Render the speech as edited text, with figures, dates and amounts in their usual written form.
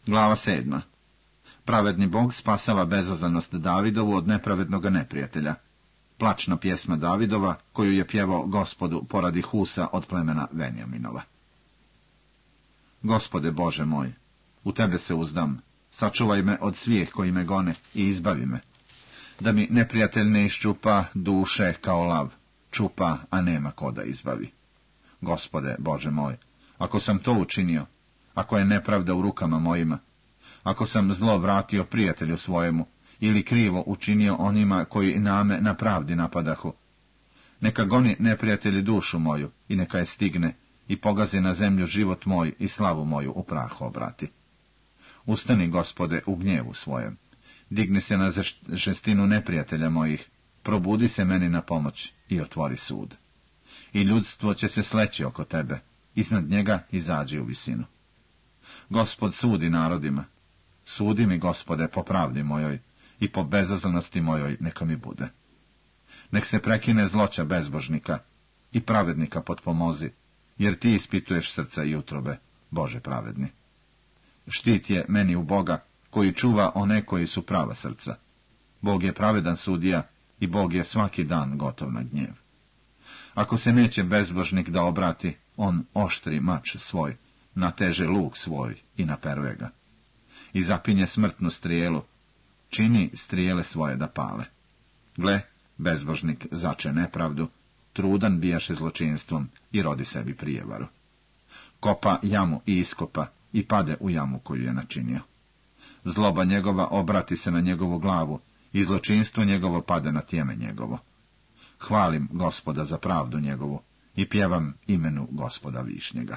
Glava 7. Pravedni Bog spasava bezazlenost Davidovu od nepravednoga neprijatelja. Plačna pjesma Davidova, koju je pjevao Gospodu poradi Husa od plemena Venjaminova. Gospode Bože moj, u Tebe se uzdam, sačuvaj me od svih koji me gone i izbavi me. Da mi neprijatelj ne iščupa duše kao lav, čupa, a nema ko da izbavi. Gospode Bože moj, ako sam to učinio, ako je nepravda u rukama mojima, ako sam zlo vratio prijatelju svojemu, ili krivo učinio onima koji name na pravdi napadahu, neka goni neprijatelji dušu moju i neka je stigne i pogazi na zemlju život moj i slavu moju u prah obrati. Ustani, Gospode, u gnjevu svojem, digni se na žestinu neprijatelja mojih, probudi se meni na pomoć i otvori sud. I ljudstvo će se sleći oko Tebe, iznad njega izađi u visinu. Gospod sudi narodima, sudi mi, Gospode, po pravdi mojoj i po bezazlenosti mojoj neka mi bude. Nek se prekine zloća bezbožnika i pravednika potpomozi, jer Ti ispituješ srca i utrobe, Bože pravedni. Štit je meni u Boga, koji čuva one koji su prava srca. Bog je pravedan sudija i Bog je svaki dan gotov na gnjev. Ako se neće bezbožnik da obrati, on oštri mač svoj, nateže luk svoj i naperuje ga. I zapinje smrtnu strijelu, čini strijele svoje da pale. Gle, bezbožnik zače nepravdu, trudan bijaše zločinstvom i rodi sebi prijevaru. Kopa jamu i iskopa i pade u jamu koju je načinio. Zloba njegova obrati se na njegovu glavu i zločinstvo njegovo pade na tijeme njegovo. Hvalim Gospoda za pravdu njegovu i pjevam imenu Gospoda Višnjega.